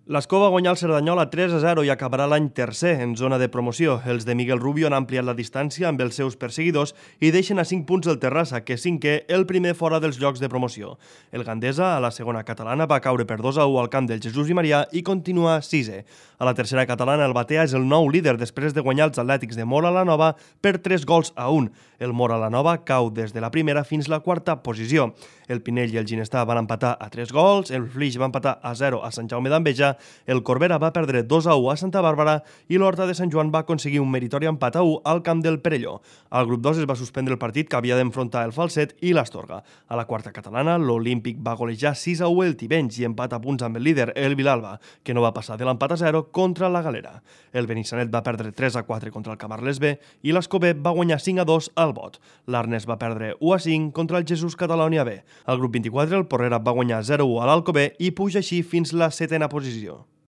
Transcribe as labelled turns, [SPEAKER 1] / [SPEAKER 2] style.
[SPEAKER 1] L'Escó va guanyar el Cerdanyola 3-0 i acabarà l'any tercer en zona de promoció. Els de Miguel Rubio han ampliat la distància amb els seus perseguidors i deixen a 5 punts el Terrassa, que és cinquè, el primer fora dels llocs de promoció. El Gandesa, a la segona catalana, va caure per 2-1 al camp del Jesús i Marià i continua sisè. A la tercera catalana, el Batea és el nou líder després de guanyar els Atlètics de Móra la Nova per 3-1. El Móra la Nova cau des de la primera fins la quarta posició. El Pinell i el Ginestà van empatar a 3 gols, el Flix va empatar a 0 a Sant Jaume d'Enveja, el Corbera va perdre 2-1 a Santa Bàrbara i l'Horta de Sant Joan va aconseguir un meritori empat a 1 al camp del Perelló. Al grup 2 es va suspendre el partit que havia d'enfrontar el Falset i l'Astorga. A la quarta catalana, l'Olímpic va golejar 6-1 el Tivenys i empat a punts amb el líder, el Vilalba, que no va passar de l'empat a 0 contra la Galera. El Benissanet va perdre 3-4 contra el Camarles B i l'Escobé va guanyar 5-2 al Bot. L'Arnes va perdre 1-5 contra el Jesús Catalònia B. Al grup 24, el Porrera va guanyar 0-1 a l'Alcobé i puja així fins la setena posició.